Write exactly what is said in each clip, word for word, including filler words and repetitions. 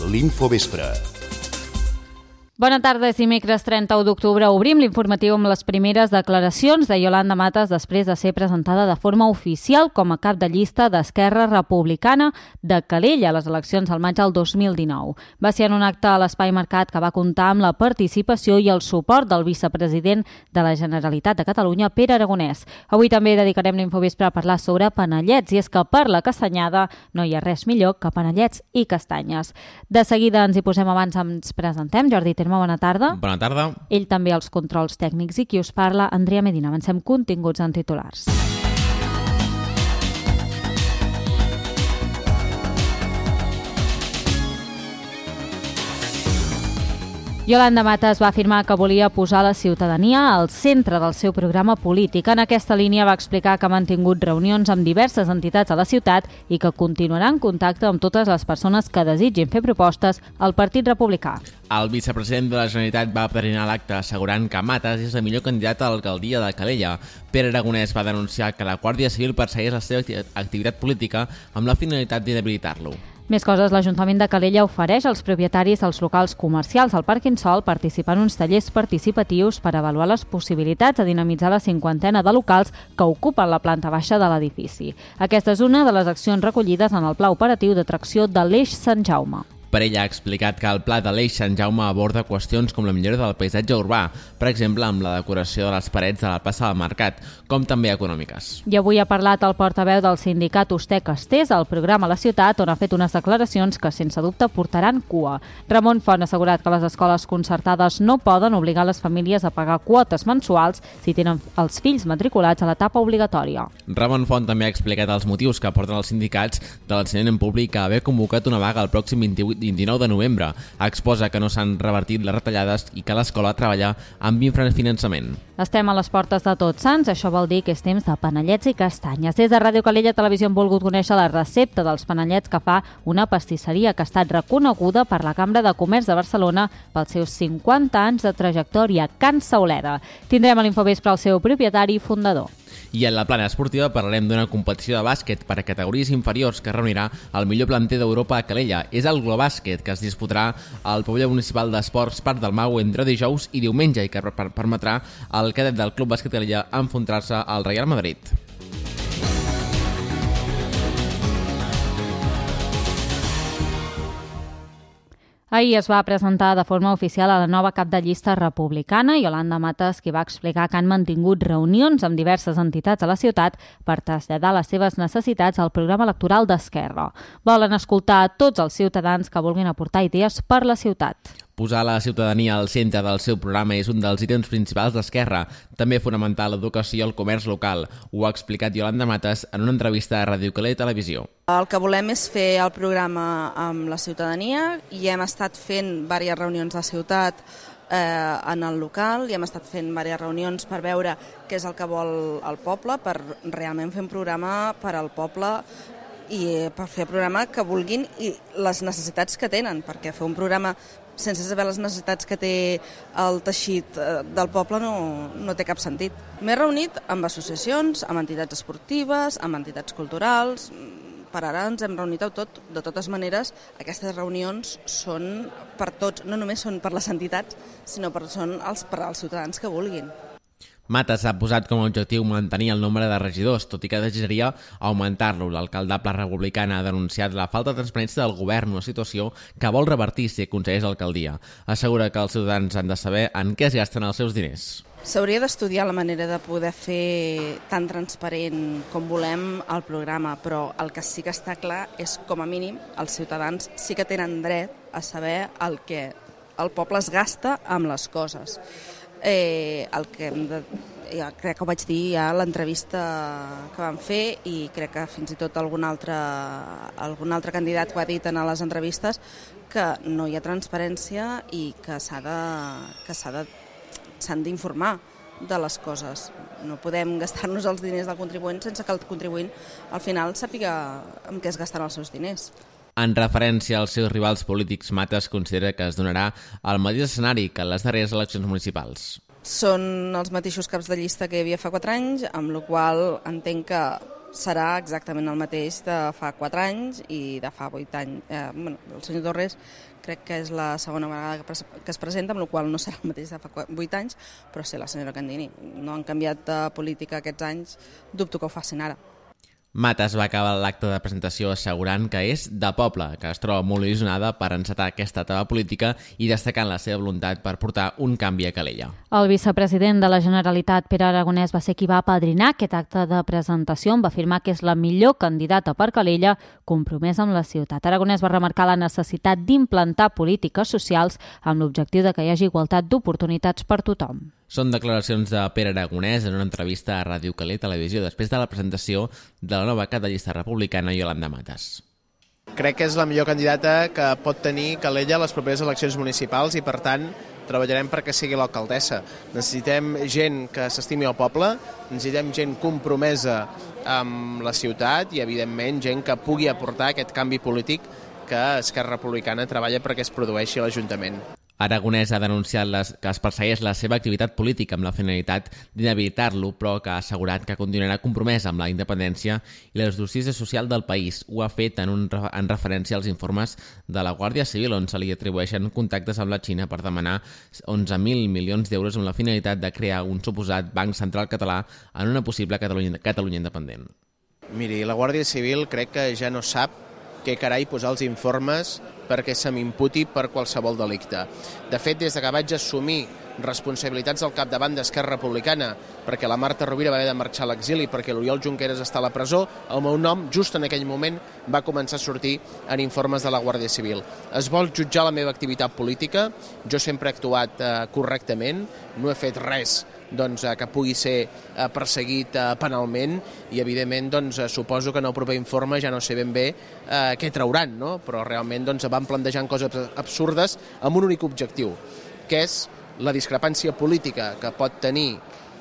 l'Infovespre. Bona tarda, és dimecres trenta-u d'octubre. Obrim l'informatiu amb les primeres declaracions de Iolanda Matas després de ser presentada de forma oficial com a cap de llista d'Esquerra Republicana de Calella a les eleccions al maig del dos mil dinou. Va ser en un acte a l'Espai Mercat que va comptar amb la participació i el suport del vicepresident de la Generalitat de Catalunya, Pere Aragonès. Avui també dedicarem l'Infovespre a parlar sobre panellets, i és que per la castanyada no hi ha res millor que panellets i castanyes. De seguida ens hi posem, abans ens presentem. Jordi Terme, bona tarda. Bona tarda. Ell també als controls tècnics, i qui us parla, Andrea Medina. Avancem continguts en titulars. Iolanda Matas va afirmar que volia posar la ciutadania al centre del seu programa polític. En aquesta línia va explicar que ha mantingut reunions amb diverses entitats a la ciutat i que continuarà en contacte amb totes les persones que desitgin fer propostes al Partit Republicà. El vicepresident de la Generalitat va padrinar l'acte assegurant que Matas és la millor candidata a l'alcaldia de Calella. Pere Aragonès va denunciar que la Guàrdia Civil persegueix la seva activitat política amb la finalitat d'inhabilitar-lo. Més coses, l'Ajuntament de Calella ofereix als propietaris dels locals comercials al Parc Insol participar en uns tallers participatius per avaluar les possibilitats de dinamitzar la cinquantena de locals que ocupen la planta baixa de l'edifici. Aquesta és una de les accions recollides en el Pla Operatiu d'Atracció de l'Eix Sant Jaume. Per ella ha explicat que el pla de l'Eix Sant Jaume aborda qüestions com la millora del paisatge urbà, per exemple amb la decoració de les parets de la plaça del Mercat, com també econòmiques. I avui ha parlat el portaveu del sindicat Ustec Estés al programa La Ciutat, on ha fet unes declaracions que sense dubte portaran cua. Ramon Font ha assegurat que les escoles concertades no poden obligar les famílies a pagar quotes mensuals si tenen els fills matriculats a l'etapa obligatòria. Ramon Font també ha explicat els motius que porten els sindicats de l'ensenyament públic a haver convocat una vaga el pròxim vint-i-vuit vint-i-nou de novembre. Exposa que no s'han revertit les retallades i que l'escola treballa amb infrafinançament. Estem a les portes de Tots Sants, això vol dir que és temps de panellets i castanyes. Des de Ràdio Calella Televisió hem volgut conèixer la recepta dels panellets que fa una pastisseria que ha estat reconeguda per la Cambra de Comerç de Barcelona pels seus cinquanta anys de trajectòria, Can Sauleda. Tindrem a l'Infovespre el seu propietari i fundador. I en la plana esportiva parlarem d'una competició de bàsquet per a categories inferiors que reunirà el millor planter d'Europa a Calella. És el Globàsquet, que es disputarà al pavelló municipal d'esports Parc del Mau entre dijous i diumenge i que permetrà al cadet del Club Bàsquet Calella enfrontar-se al Real Madrid. Ahir es va presentar de forma oficial a la nova cap de llista republicana, Iolanda Matas, qui va explicar que han mantingut reunions amb diverses entitats a la ciutat per traslladar les seves necessitats al programa electoral d'Esquerra. Volen escoltar a tots els ciutadans que vulguin aportar idees per la ciutat. Posar la ciutadania al centre del seu programa és un dels ítems principals d'Esquerra. També fonamentar l'educació i el comerç local. Ho ha explicat Iolanda Matas en una entrevista a Ràdio Calella Televisió. El que volem és fer el programa amb la ciutadania i hem estat fent diverses reunions de ciutat eh, en el local i hem estat fent diverses reunions per veure què és el que vol el poble, per realment fer un programa per al poble i per fer un programa que vulguin i les necessitats que tenen, perquè fer un programa sense saber les necessitats que té el teixit del poble no, no té cap sentit. M'he reunit amb associacions, amb entitats esportives, amb entitats culturals. Per ara ens hem reunit a tot. De totes maneres, aquestes reunions són per tots, no només són per les entitats, sinó per, són els, per als ciutadans que vulguin. Matas ha posat com a objectiu mantenir el nombre de regidors, tot i que desitjaria augmentar-lo. L'alcalde Pla Republicana ha denunciat la falta de transparència del govern, una situació que vol revertir si aconsegueix l'alcaldia. Assegura que els ciutadans han de saber en què es gasten els seus diners. S'hauria d'estudiar la manera de poder fer tan transparent com volem el programa, però el que sí que està clar és, com a mínim, els ciutadans sí que tenen dret a saber el que el poble es gasta amb les coses. Eh, el que hem de, ja crec que ho vaig dir ja a l'entrevista que vam fer i crec que fins i tot algun altre, algun altre candidat ho ha dit en les entrevistes, que no hi ha transparència i que s'ha de, que s'ha de, s'han d'informar de les coses. No podem gastar-nos els diners del contribuent sense que el contribuent al final sàpiga en què es gasten els seus diners. En referència als seus rivals polítics, Matas considera que es donarà el mateix escenari que en les darreres eleccions municipals. Són els mateixos caps de llista que hi havia fa quatre anys, amb la qual entenc que serà exactament el mateix de fa quatre anys i de fa vuit anys. Eh, bueno, el senyor Torres crec que és la segona vegada que es presenta, amb la qual no serà el mateix de fa vuit anys, però sí, la senyora Candini. No han canviat de política aquests anys, dubto que ho facin ara. Matas va acabar l'acte de presentació assegurant que és de poble, que es troba molt il·lusionada per encetar aquesta etapa política i destacant la seva voluntat per portar un canvi a Calella. El vicepresident de la Generalitat, Pere Aragonès, va ser qui va apadrinar aquest acte de presentació, on va afirmar que és la millor candidata per Calella, compromesa amb la ciutat. Aragonès va remarcar la necessitat d'implantar polítiques socials amb l'objectiu de que hi hagi igualtat d'oportunitats per tothom. Són declaracions de Pere Aragonès en una entrevista a Ràdio Calella Televisió després de la presentació de la nova cap de llista republicana Yolanda Matas. Crec que és la millor candidata que pot tenir Calella a les properes eleccions municipals i, per tant, treballarem perquè sigui l'alcaldessa. Necessitem gent que s'estimi al poble, necessitem gent compromesa amb la ciutat i, evidentment, gent que pugui aportar aquest canvi polític que Esquerra Republicana treballa perquè es produeixi a l'Ajuntament. Aragonès ha denunciat les, que es persegueix la seva activitat política amb la finalitat d'inhabilitar-lo, però que ha assegurat que continuarà compromès amb la independència i la justícia social del país. Ho ha fet en, un, en referència als informes de la Guàrdia Civil, on se li atribueixen contactes amb la Xina per demanar onze mil milions d'euros amb la finalitat de crear un suposat Banc Central Català en una possible Catalunya, Catalunya independent. Miri, la Guàrdia Civil crec que ja no sap què carai posar els informes perquè se m'imputi per qualsevol delicte. De fet, des que vaig assumir responsabilitats al capdavant d'Esquerra Republicana perquè la Marta Rovira va haver de marxar a l'exili perquè l'Oriol Junqueras està a la presó, el meu nom, just en aquell moment, va començar a sortir en informes de la Guàrdia Civil. Es vol jutjar la meva activitat política, jo sempre he actuat eh, correctament, no he fet res doncs, que pugui ser perseguit penalment i, evidentment, doncs, suposo que en el proper informe ja no sé ben bé eh, què trauran, no? Però realment doncs, van plantejant coses absurdes amb un únic objectiu, que és la discrepància política que pot tenir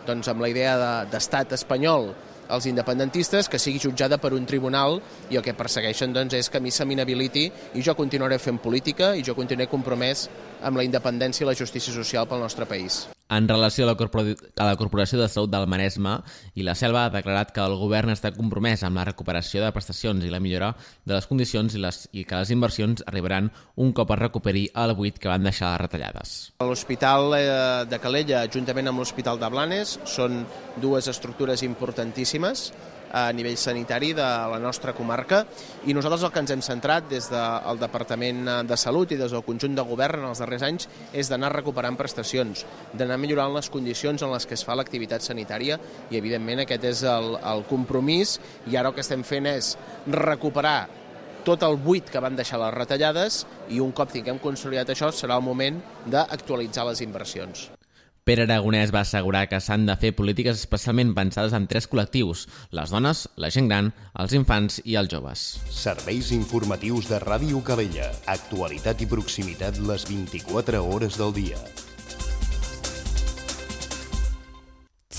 doncs, amb la idea d'estat espanyol els independentistes, que sigui jutjada per un tribunal, i el que persegueixen doncs, és que a mi se m'inhabiliti i jo continuaré fent política i jo continuaré compromès amb la independència i la justícia social pel nostre país. En relació a la, a la Corporació de Salut del Maresme i la Selva, ha declarat que el govern està compromès amb la recuperació de prestacions i la millora de les condicions i, les, i que les inversions arribaran un cop es recuperi el buit que van deixar les retallades. L'Hospital de Calella, juntament amb l'Hospital de Blanes, són dues estructures importantíssimes a nivell sanitari de la nostra comarca, i nosaltres el que ens hem centrat des del Departament de Salut i des del conjunt de govern en els darrers anys és d'anar recuperant prestacions, d'anar millorant les condicions en les que es fa l'activitat sanitària, i evidentment aquest és el, el compromís, i ara el que estem fent és recuperar tot el buit que van deixar les retallades, i un cop tinguem consolidat això serà el moment d'actualitzar les inversions. Pere Aragonès va assegurar que s'han de fer polítiques especialment pensades en tres col·lectius: les dones, la gent gran, els infants i els joves. Serveis informatius de Ràdio Calella. Actualitat i proximitat les vint-i-quatre hores del dia.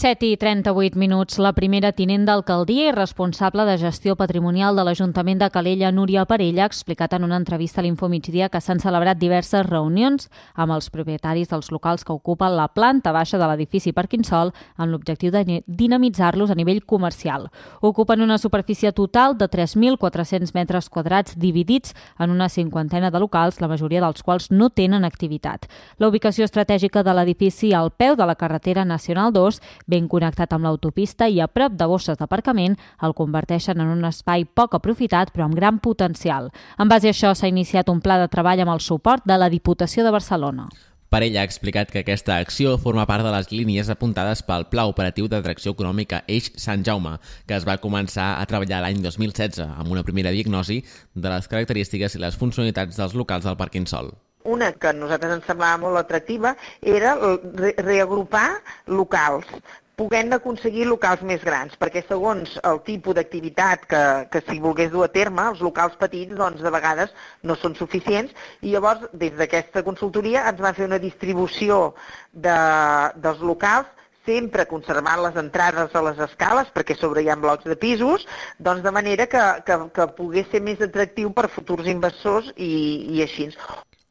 set i trenta-vuit minuts. La primera tinent d'alcaldia i responsable de gestió patrimonial de l'Ajuntament de Calella, Núria Parella, ha explicat en una entrevista a l'Infomigdia que s'han celebrat diverses reunions amb els propietaris dels locals que ocupen la planta baixa de l'edifici Parquinsol amb l'objectiu de dinamitzar-los a nivell comercial. Ocupen una superfície total de tres mil quatre-cents metres quadrats dividits en una cinquantena de locals, la majoria dels quals no tenen activitat. La ubicació estratègica de l'edifici al peu de la carretera Nacional dos, ben connectat amb l'autopista i a prop de bosses d'aparcament, el converteixen en un espai poc aprofitat però amb gran potencial. En base a això s'ha iniciat un pla de treball amb el suport de la Diputació de Barcelona. Parella ha explicat que aquesta acció forma part de les línies apuntades pel Pla Operatiu d'Atracció Econòmica Eix Sant Jaume, que es va començar a treballar l'any dos mil setze, amb una primera diagnosi de les característiques i les funcionalitats dels locals del Parquinsol. Una que a nosaltres ens semblava molt atractiva era re reagrupar locals, podent aconseguir locals més grans, perquè segons el tipus d'activitat que, que s'hi volgués dur a terme, els locals petits doncs, de vegades no són suficients, i llavors des d'aquesta consultoria ens va fer una distribució de, dels locals, sempre conservant les entrades a les escales, perquè sobre hi ha blocs de pisos, doncs de manera que, que, que pogués ser més atractiu per futurs inversors i, i així.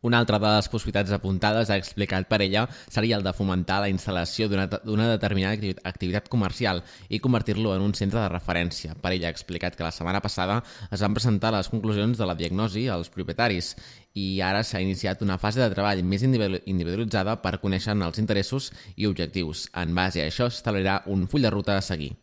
Una altra de les possibilitats apuntades, ha explicat Parella, seria el de fomentar la instal·lació d'una determinada activitat comercial i convertir-lo en un centre de referència. Parella ha explicat que la setmana passada es van presentar les conclusions de la diagnosi als propietaris i ara s'ha iniciat una fase de treball més individualitzada per conèixer els interessos i objectius. En base a això s'establirà un full de ruta a seguir.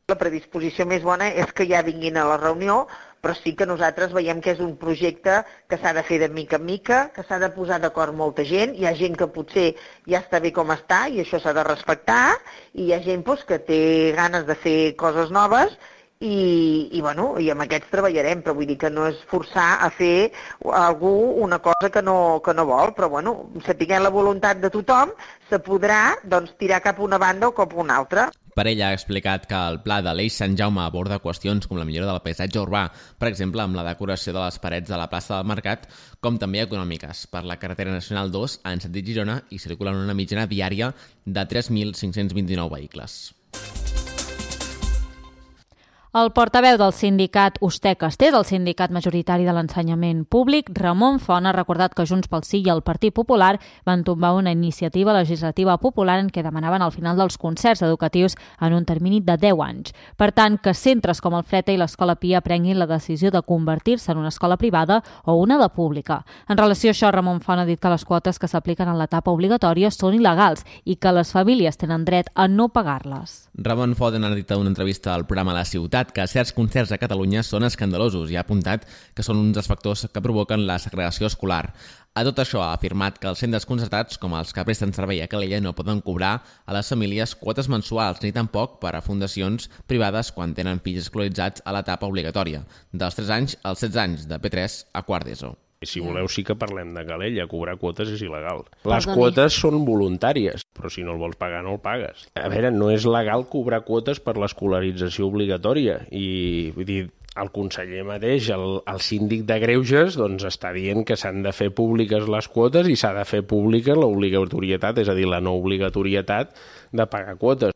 La predisposició més bona és que ja vinguin a la reunió, però sí que nosaltres veiem que és un projecte que s'ha de fer de mica en mica, que s'ha de posar d'acord molta gent. Hi ha gent que potser ja està bé com està i això s'ha de respectar, i hi ha gent doncs, que té ganes de fer coses noves i, i, bueno, i amb aquests treballarem, però vull dir que no és forçar a fer algú una cosa que no, que no vol, però bueno, sapiguent la voluntat de tothom, se podrà doncs, tirar cap a una banda o cap a una altra. Parella ha explicat que el pla de l'Eix Sant Jaume aborda qüestions com la millora del paisatge urbà, per exemple, amb la decoració de les parets de la plaça del Mercat, com també econòmiques. Per la carretera nacional dos, en sentit Girona, hi circulen una mitjana diària de tres mil cinc-cents vint-i-nou vehicles. El portaveu del sindicat Ustec-Est, el sindicat majoritari de l'ensenyament públic, Ramon Font, ha recordat que Junts pel Sí i el Partit Popular van tombar una iniciativa legislativa popular en què demanaven el final dels concerts educatius en un termini de deu anys. Per tant, que centres com el Fleta i l'Escola Pia prenguin la decisió de convertir-se en una escola privada o una de pública. En relació a això, Ramon Font ha dit que les quotes que s'apliquen en l'etapa obligatòria són il·legals i que les famílies tenen dret a no pagar-les. Ramon Font ha dit en una entrevista al programa La Ciutat que certs concerts a Catalunya són escandalosos i ha apuntat que són uns dels factors que provoquen la segregació escolar. A tot això ha afirmat que els centres concertats, com els que presten servei a Calella, no poden cobrar a les famílies quotes mensuals ni tampoc per a fundacions privades quan tenen fills escolaritzats a l'etapa obligatòria, dels tres anys als setze anys, de P tres a quart d'ESO. Si voleu sí que parlem de Calella, cobrar quotes és il·legal. Les quotes són voluntàries, però si no el vols pagar no el pagues. A veure, no és legal cobrar quotes per l'escolarització obligatòria i vull dir, el conseller mateix, el, el síndic de Greuges, doncs està dient que s'han de fer públiques les quotes i s'ha de fer pública l'obligatorietat, és a dir, la no obligatorietat de pagar quotes.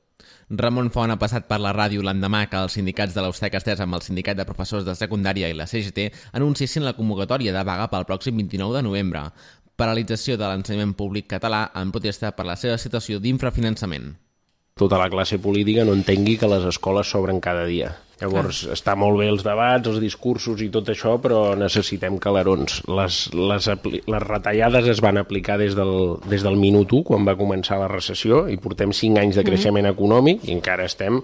Ramon Font ha passat per la ràdio l'endemà que els sindicats de l'Ustec-Est amb el sindicat de professors de secundària i la C G T anunciessin la convocatòria de vaga pel pròxim vint-i-nou de novembre. Paralització de l'ensenyament públic català en protesta per la seva situació d'infrafinançament. Tota la classe política no entengui que les escoles s'obren cada dia. Llavors, ah. està molt bé els debats, els discursos i tot això, però necessitem calarons. Les, les, les retallades es van aplicar des del, des del minut u, quan va començar la recessió, i portem cinc anys de creixement mm. econòmic i encara estem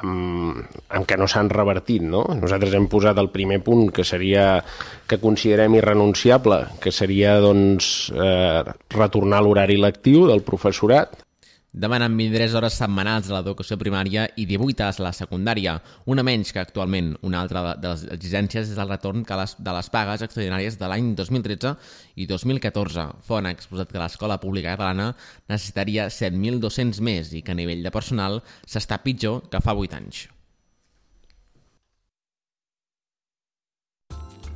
amb, amb que no s'han revertit, no? Nosaltres hem posat el primer punt, que seria que considerem irrenunciable, que seria doncs, eh, retornar a l'horari lectiu del professorat. Demanen vint-i-tres hores setmanals a l'educació primària i divuit a la secundària, una menys que actualment. Una altra de les exigències és el retorn de les pagues extraordinàries de l'any dos mil tretze i dos mil catorze. Font ha exposat que l'escola pública catalana necessitaria set mil dos-cents més i que a nivell de personal s'està pitjor que fa vuit anys.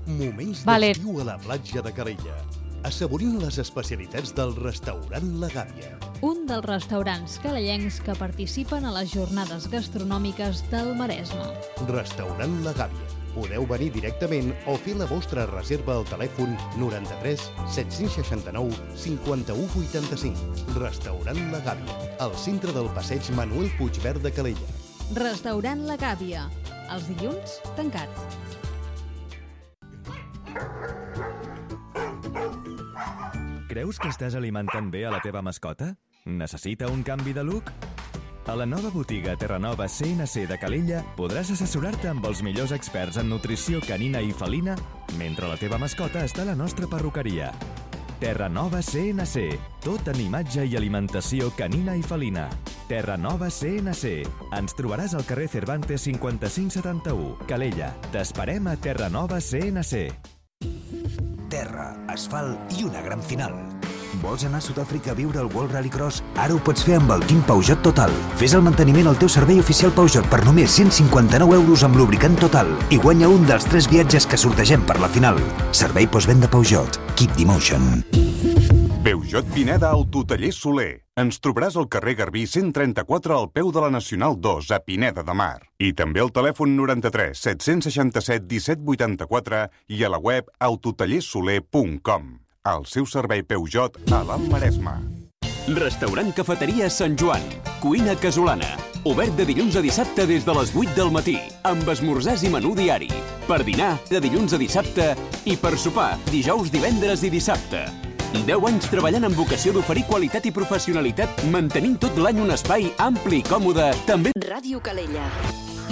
Moments d'estiu a la platja de Calella. Assaborint les especialitats del restaurant La Gàbia. Un dels restaurants calellencs que participen a les jornades gastronòmiques del Maresme. Restaurant La Gàbia. Podeu venir directament o fer la vostra reserva al telèfon noranta-tres set-cents seixanta-nou cinquanta-u vuitanta-cinc. Restaurant La Gàbia, al centre del passeig Manuel Puigverd de Calella. Restaurant La Gàbia. Els dilluns, tancats. Creus que estàs alimentant bé a la teva mascota? Necessita un canvi de look? A la nova botiga Terranova C N C de Calella podràs assessorar-te amb els millors experts en nutrició canina i felina mentre la teva mascota està a la nostra perruqueria. Terranova C N C, tot en imatge i alimentació canina i felina. Terranova C N C. Ens trobaràs al carrer Cervantes cinquanta-cinc setanta-u, Calella. T'esperem a Terranova C N C. Terra, asfalt i una gran final. Vols anar a Sud-àfrica a viure el World Rallycross? Ara ho pots fer amb el Team Peugeot Total. Fes el manteniment al teu servei oficial Peugeot per només cent cinquanta-nou euros amb lubricant Total i guanya un dels tres viatges que sortegem per la final. Servei postvenda Peugeot. Keep the motion. Peugeot Pineda Autotaller Soler. Ens trobaràs al carrer Garbí cent trenta-quatre al peu de la Nacional dos a Pineda de Mar. I també al telèfon noranta-tres set-cents seixanta-set disset vuitanta-quatre i a la web autotallersoler punt com. el seu servei Peugeot a l'Alt Maresme. Restaurant Cafeteria Sant Joan. Cuina casolana. Obert de dilluns a dissabte des de les vuit del matí, amb esmorzars i menú diari. Per dinar, de dilluns a dissabte, i per sopar, dijous, divendres i dissabte. deu anys treballant amb vocació d'oferir qualitat i professionalitat, mantenint tot l'any un espai ampli i còmode, també... Ràdio Calella.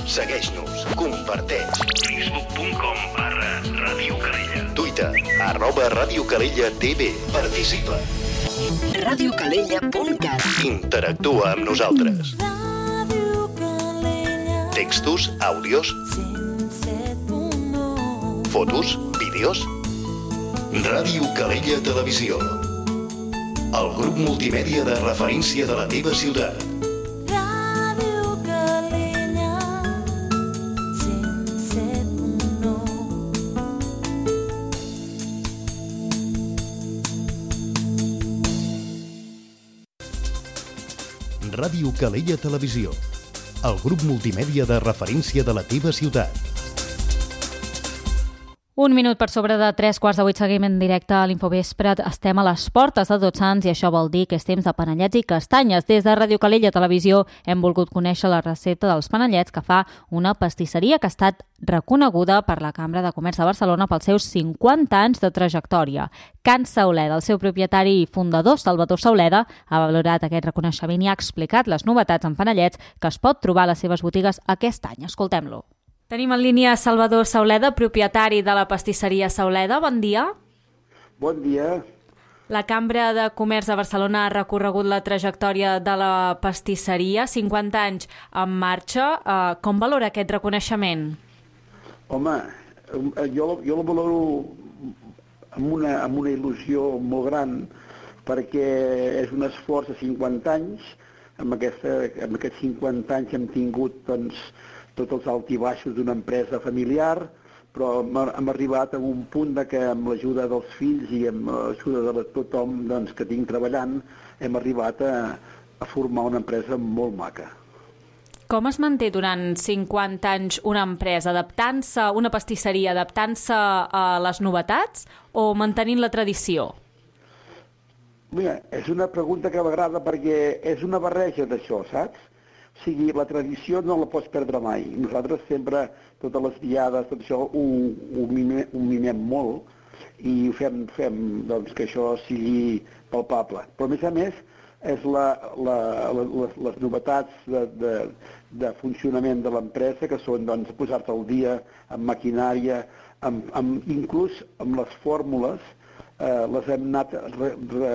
Segueix-nos, comparteix. facebook punt com barra Ràdio Calella. Twitter, arroba Ràdio Calella T V. Participa. ràdio calella punt cat. Interactua amb nosaltres. Textos, àudios, fotos, vídeos. Ràdio Calella Televisió. El grup multimèdia de referència de la teva ciutat. Ràdio Calella cent set punt nou. Ràdio Calella Televisió. El grup multimèdia de referència de la teva ciutat. Un minut per sobre de tres quarts de vuit, seguim en directe a l'Infovespre. Estem a les portes de Tots Sants i això vol dir que és temps de panellets i castanyes. Des de Ràdio Calella Televisió hem volgut conèixer la recepta dels panellets que fa una pastisseria que ha estat reconeguda per la Cambra de Comerç de Barcelona pels seus cinquanta anys de trajectòria. Can Sauleda, el seu propietari i fundador, Salvador Sauleda, ha valorat aquest reconeixement i ha explicat les novetats en panellets que es pot trobar a les seves botigues aquest any. Escoltem-lo. Tenim en línia Salvador Sauleda, propietari de la pastisseria Sauleda. Bon dia. Bon dia. La Cambra de Comerç de Barcelona ha recorregut la trajectòria de la pastisseria, cinquanta anys en marxa. Uh, com valora aquest reconeixement? Home, jo, jo la valoro amb una, amb una il·lusió molt gran, perquè és un esforç de cinquanta anys. Amb, aquesta, amb aquests cinquanta anys hem tingut, doncs, tots els alts i baixos d'una empresa familiar, però hem arribat a un punt de que amb l'ajuda dels fills i amb l'ajuda de tothom, doncs, que tinc treballant, hem arribat a, a formar una empresa molt maca. Com es manté durant cinquanta anys una empresa? Adaptant-se, una pastisseria, adaptant-se a les novetats o mantenint la tradició? Mira, és una pregunta que m'agrada perquè és una barreja d'això, saps? O sigui, la tradició no la pots perdre mai. Nosaltres sempre, totes les diades, tot això, ho, ho, mimem, ho mimem molt i fem, fem doncs, que això sigui palpable. Però, a més a més, és la, la, la, les, les novetats de, de, de funcionament de l'empresa, que són doncs, posar-te al dia amb maquinària, amb, amb, inclús amb les fórmules, eh, les hem anat re, re,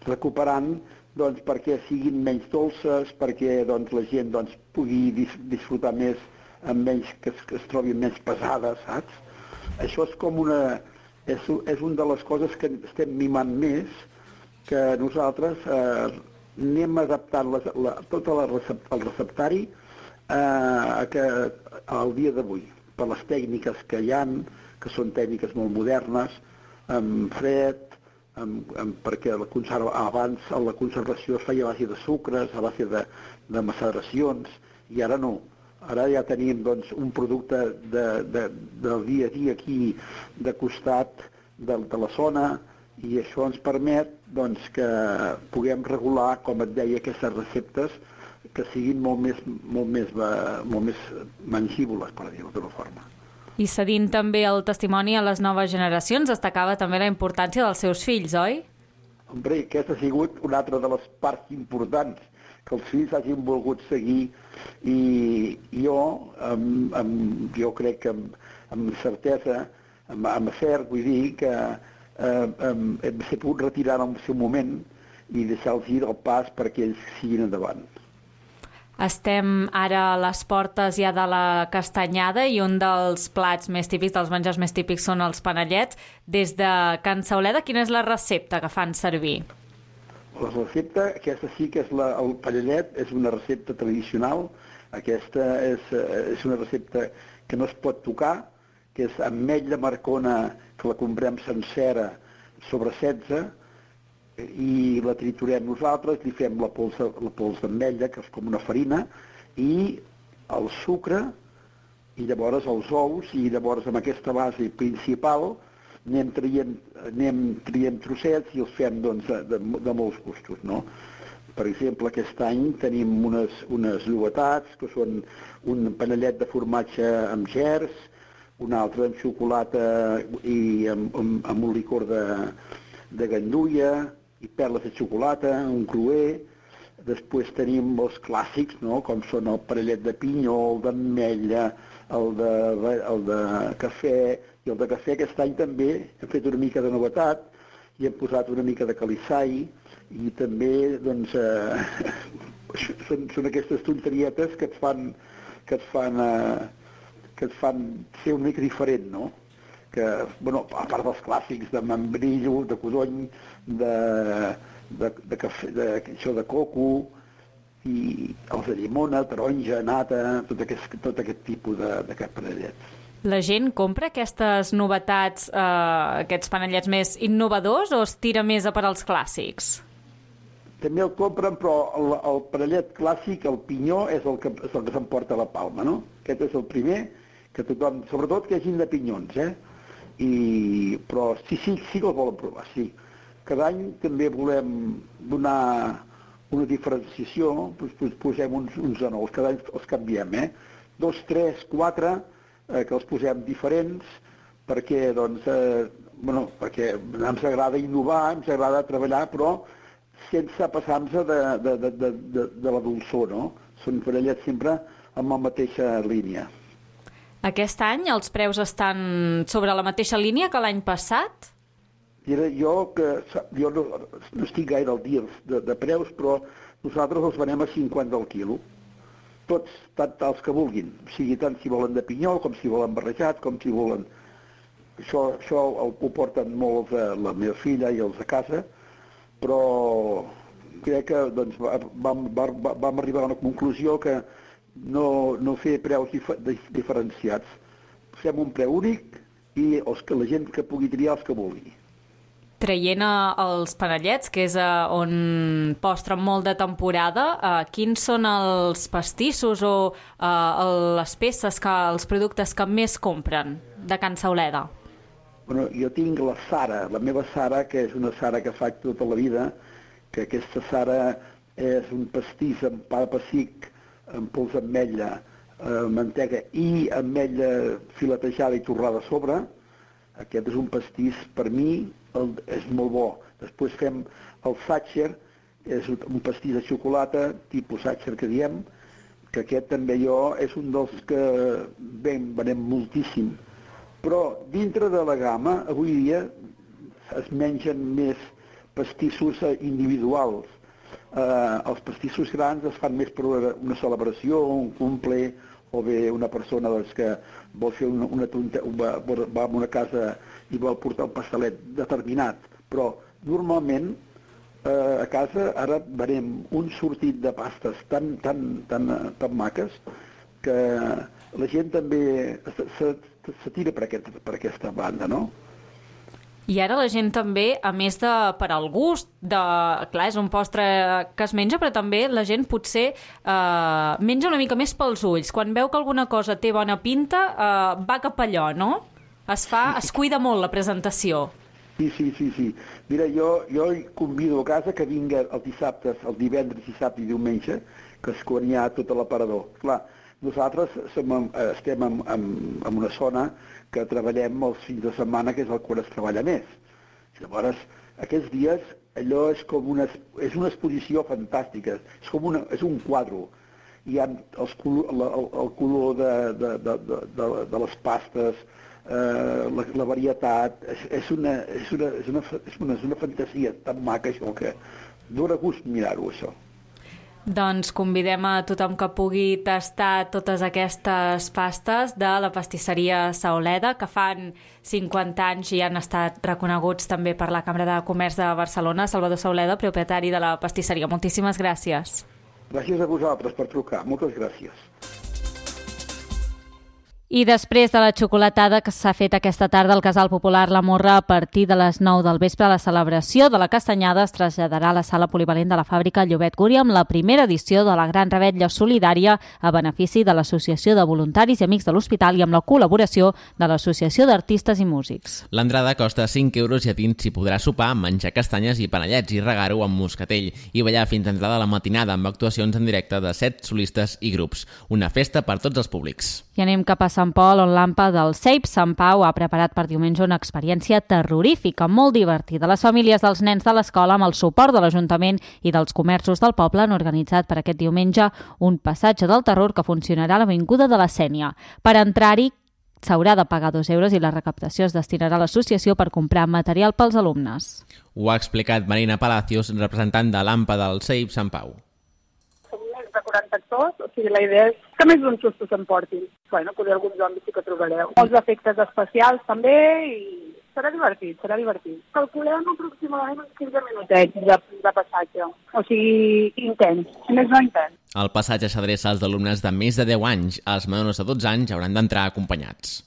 recuperant doncs, perquè siguin menys dolces, perquè doncs, la gent doncs, pugui dis disfrutar més, amb menys, que es, que es trobin menys pesades, saps? Això és com una... És, és una de les coses que estem mimant més, que nosaltres eh, anem adaptant les, la, tot la recept, el receptari eh, que, al dia d'avui, per les tècniques que hi ha, que són tècniques molt modernes, amb fred, Amb, amb, perquè la conserva, abans la conservació es feia a base de sucres, a base de, de maceracions, i ara no. Ara ja tenim doncs, un producte de, de, del dia a dia aquí de costat de, de la zona, i això ens permet doncs, que puguem regular, com et deia, aquestes receptes que siguin molt més, molt més, molt més mengibles, per dir-ho d'una forma. I cedint també el testimoni a les noves generacions, destacava també la importància dels seus fills, oi? Hombre, aquesta ha sigut una altra de les parts importants, que els fills hagin volgut seguir, i jo, amb, amb, jo crec que amb, amb certesa, amb, amb cert, vull dir que eh, hem pogut retirar en el seu moment i deixar-los ir al pas perquè ells siguin endavant. Estem ara a les portes ja de la castanyada i un dels plats més típics, dels menjars més típics, són els panellets. Des de Can Sauleda, quina és la recepta que fan servir? La recepta, aquesta sí que és la, el panellet, és una recepta tradicional. Aquesta és, és una recepta que no es pot tocar, que és ametlla marcona, que la comprem sencera sobre setze, i la triturem nosaltres, li fem la pols, la pols d'ametlla, que és com una farina, i el sucre, i llavors els ous, i llavors amb aquesta base principal, anem traient, anem traient trossets i els fem doncs, de, de, de molts gustos, no? Per exemple, aquest any tenim unes, unes novetats, que són un panellet de formatge amb gers, un altre amb xocolata i amb, amb, amb un licor de, de gandulla i perles de xocolata, un cruer. Després tenim els clàssics, no?, com són el panellet de pinyó, el d'ametlla, el de, el de cafè, i el de cafè aquest any també hem fet una mica de novetat i hem posat una mica de calissai, i també doncs, eh, són, són aquestes tonterietes que et fan, que et fan, eh, que et fan ser una mica diferent, no? Que, bueno, a part dels clàssics de membrillo, de codony, de, de, de, cafè, de, això de coco, i els de llimona, taronja, nata, tot aquest, tot aquest tipus de, de panellets. La gent compra aquestes novetats, eh, aquests panellets més innovadors, o es tira més a per als clàssics? També el compren, però el, el panellet clàssic, el pinyó, és el que, és el que s'emporta la palma, no? Aquest és el primer, que tothom, sobretot que hagin de pinyons, eh? I, però sí, sí, sí que el volen provar, sí. Cada any també volem donar una diferenciació, doncs posem uns, uns de nous, cada any els canviem, eh? Dos, tres, quatre, eh, que els posem diferents, perquè, doncs, eh, bueno, perquè ens agrada innovar, ens agrada treballar, però sense passar-nos de, de, de, de, de, de la dolçor, no? Són panellets sempre amb la mateixa línia. Aquest any els preus estan sobre la mateixa línia que l'any passat? Mira, jo, que, jo no, no estic gaire al dia de, de preus, però nosaltres els venem a cinquanta al quilo. Tots, tant els que vulguin. O sigui, tant si volen de pinyol, com si volen barrejat, com si volen... Això, això ho porten molt eh, la meva filla i els de casa, però crec que doncs, vam, vam, vam arribar a una conclusió que no, no fer preus dif diferenciats. Fem un preu únic i els que, la gent que pugui triar els que vulgui. Traient els panellets, que és on postren molt de temporada, eh, quins són els pastissos o eh, les peces, que, els productes que més compren de Can Sauleda? Bueno, jo tinc la Sara, la meva Sara, que és una Sara que faig tota la vida, que aquesta Sara és un pastís amb pa de pessic, amb pols d'ametlla, eh, mantega i ametlla filetejada i torrada a sobre. Aquest és un pastís, per mi, el, és molt bo. Després fem el Sacher, és un pastís de xocolata, tipus Sacher que diem, que aquest també jo és un dels que ben, venem moltíssim. Però dintre de la gamma, avui dia, es mengen més pastissos individuals. Eh, els pastissos grans es fan més per una celebració, un cumple, o bé una persona doncs, que vol fer una, una tonta, va, va a una casa i vol portar un pastelet determinat. Però normalment eh, a casa ara venem un sortit de pastes tan, tan, tan, tan maques que la gent també se, se, se tira per, aquest, per aquesta banda, no? I ara la gent també, a més de per al gust, de, clar, és un postre que es menja, però també la gent potser eh, menja una mica més pels ulls. Quan veu que alguna cosa té bona pinta, eh, va cap allò, no? Es fa, es cuida molt la presentació. Sí, sí, sí, sí. Mira, jo, jo convido a casa que vinga els dissabtes, el divendres, dissabte i diumenge, que és quan hi ha tot l'aparador. Clar, nosaltres som, estem en, en, en una zona que treballem els fins de setmana, que és el quan es treballa més. Llavors, aquests dies, allò és com una, és una exposició fantàstica, és com una, és un quadre. Hi ha els, el, el color de, de, de, de, de les pastes, eh, la, la varietat, és, és, una, és, una, és, una, és, una, és una fantasia tan maca això que dóna gust mirar-ho, això. Doncs convidem a tothom que pugui tastar totes aquestes pastes de la pastisseria Sauleda, que fan cinquanta anys i han estat reconeguts també per la Cambra de Comerç de Barcelona. Salvador Sauleda, propietari de la pastisseria. Moltíssimes gràcies. Gràcies a vosaltres per trucar. Moltes gràcies. I després de la xocolatada que s'ha fet aquesta tarda al Casal Popular La Morra a partir de les nou del vespre, la celebració de la castanyada es traslladarà a la sala polivalent de la fàbrica Llobet Gúria amb la primera edició de la Gran Revetlla Solidària a benefici de l'Associació de Voluntaris i Amics de l'Hospital i amb la col·laboració de l'Associació d'Artistes i Músics. L'entrada costa cinc euros i a dins s'hi podrà sopar, menjar castanyes i panellets i regar-ho amb moscatell i ballar fins a entrada a la matinada amb actuacions en directe de set solistes i grups. Una festa per tots els públics. I anem cap a Sant Pol, on l'AMPA del C E I P Sant Pau ha preparat per diumenge una experiència terrorífica, molt divertida. Les famílies dels nens de l'escola, amb el suport de l'Ajuntament i dels comerços del poble, han organitzat per aquest diumenge un passatge del terror que funcionarà a l'Avinguda de la Sénia. Per entrar-hi s'haurà de pagar dos euros i la recaptació es destinarà a l'associació per comprar material pels alumnes. Ho ha explicat Marina Palacios, representant de l'AMPA del C E I P Sant Pau. De quaranta actors, o sigui, la idea és que més d'un susto s'emportin. Bueno, potser alguns zombis sí que trobareu. Molts efectes especials també i serà divertit, serà divertit. Calculem aproximadament uns quinze minutets de, de passatge, o sigui, intens, més no intens. El passatge s'adreça als alumnes de més de deu anys. Els menors de dotze anys hauran d'entrar acompanyats.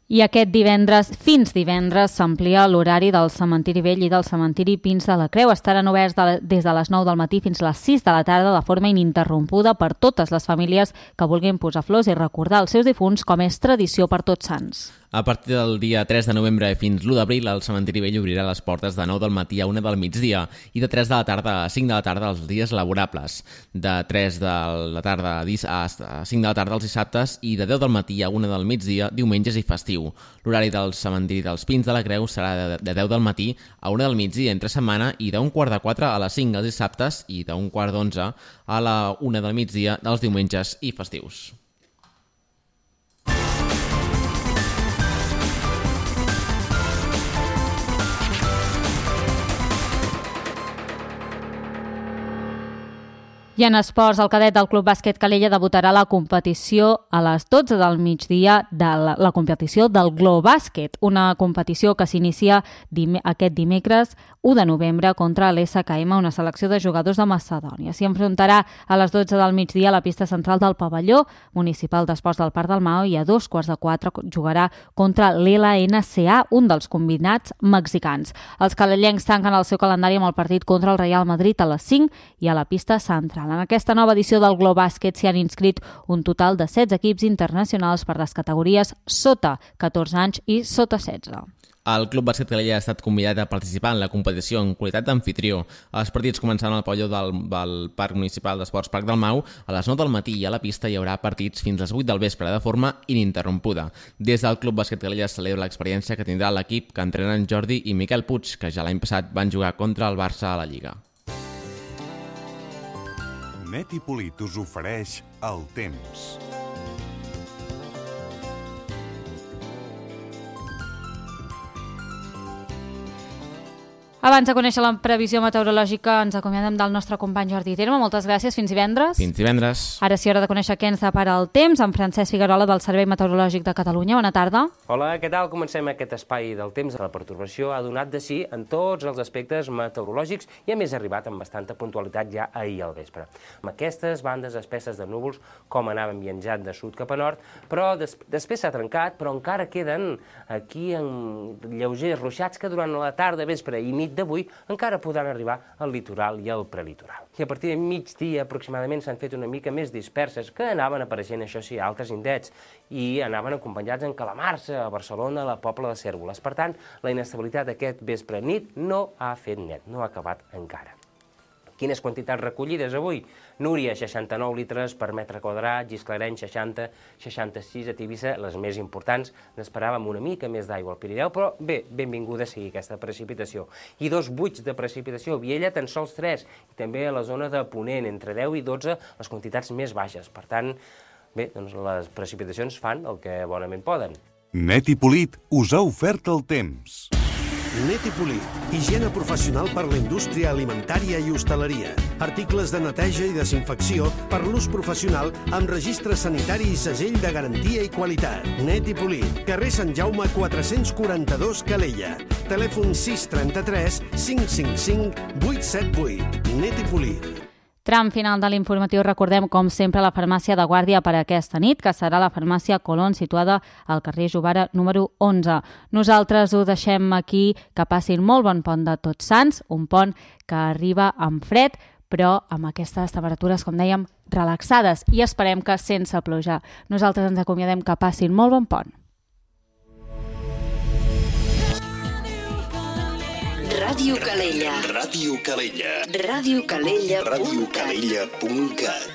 I aquest divendres, fins divendres, s'amplia l'horari del Cementiri Vell i del Cementiri Pins de la Creu. Estaran oberts de, des de les nou del matí fins a les sis de la tarda de forma ininterrompuda per totes les famílies que vulguin posar flors i recordar els seus difunts, com és tradició per Tots Sants. A partir del dia tres de novembre fins l'u d'abril, el Cementiri Vell obrirà les portes de nou del matí a una del migdia i de tres de la tarda a cinc de la tarda els dies laborables, de tres de la tarda a cinc de la tarda els dissabtes i de deu del matí a una del migdia, diumenges i festiu. L'horari del Cementiri dels Pins de la Creu serà de deu del matí a una del migdia entre setmana i d'un quart de quatre a les cinc els dissabtes i d'un quart d'onze a la una del migdia dels diumenges i festius. I en esports, el cadet del Club Bàsquet Calella debutarà a la competició a les dotze del migdia de la, la competició del Globàsquet, una competició que s'inicia dim aquest dimecres u de novembre contra l'S K M, una selecció de jugadors de Macedònia. S'hi enfrontarà a les dotze del migdia a la pista central del pavelló municipal d'esports del Parc del Mao i a dos quarts de quatre jugarà contra l'L N C A, un dels combinats mexicans. Els calellencs tanquen el seu calendari amb el partit contra el Real Madrid a les cinc i a la pista central. En aquesta nova edició del Globàsquet s'hi han inscrit un total de setze equips internacionals per les categories sota catorze anys i sota setze. El Club Bàsquet Calella ha estat convidat a participar en la competició en qualitat d'amfitrió. Els partits començaran al pavelló del, del Parc Municipal d'Esports Parc del Mau. A les nou del matí i a la pista hi haurà partits fins a les vuit del vespre de forma ininterrompuda. Des del Club Bàsquet Calella es celebra l'experiència que tindrà l'equip que entrenen Jordi i Miquel Puig, que ja l'any passat van jugar contra el Barça a la Lliga. Net i Polit us ofereix el temps. Abans de conèixer la previsió meteorològica, ens acomiadem del nostre company Jordi Terme. Moltes gràcies, fins divendres. Fins divendres. Ara sí, hora de conèixer què ens depara el temps, amb Francesc Figuerola del Servei Meteorològic de Catalunya. Bona tarda. Hola, què tal? Comencem aquest espai del temps. La pertorbació ha donat de sí en tots els aspectes meteorològics i a més ha arribat amb bastanta puntualitat ja ahir al vespre. Amb aquestes bandes espesses de núvols, com anaven viatjant de sud cap a nord, però des després s'ha trencat, però encara queden aquí en lleugers ruixats que durant la tarda, vespre i nit d'avui encara podran arribar al litoral i al prelitoral. I a partir de migdia aproximadament s'han fet una mica més disperses, que anaven apareixent, això sí, altres indrets, i anaven acompanyats en calamarsa a Barcelona, a la Pobla de Cérvoles. Per tant, la inestabilitat aquest vespre nit no ha fet net, no ha acabat encara. Quines quantitats recollides avui? Núria, seixanta-nou litres per metre quadrat, Gisclareny, seixanta, seixanta-sis a Tivissa, les més importants. N'esperàvem una mica més d'aigua al Pirineu, però bé, benvinguda sigui aquesta precipitació. I dos buits de precipitació, Viella tan sols tres, i també a la zona de Ponent, entre deu i dotze, les quantitats més baixes. Per tant, bé, doncs les precipitacions fan el que bonament poden. Net i Polit us ha ofert el temps. Net i Polit, higiene professional per la indústria alimentària i hostaleria. Articles de neteja i desinfecció per l'ús professional amb registre sanitari i segell de garantia i qualitat. Net i Polit, carrer Sant Jaume quatre-cents quaranta-dos Calella. Telèfon sis trenta-tres cinc cinc cinc vuit set vuit. Net i Polit. Tram final de l'informatiu, recordem com sempre la farmàcia de guàrdia per aquesta nit, que serà la farmàcia Colón, situada al carrer Jovara número onze. Nosaltres ho deixem aquí, que passin molt bon pont de Tots Sants, un pont que arriba amb fred, però amb aquestes temperatures, com dèiem, relaxades, i esperem que sense pluja. Nosaltres ens acomiadem, que passin molt bon pont. Ràdio Calella. Ràdio Calella. Ràdio Calella. ràdio calella punt cat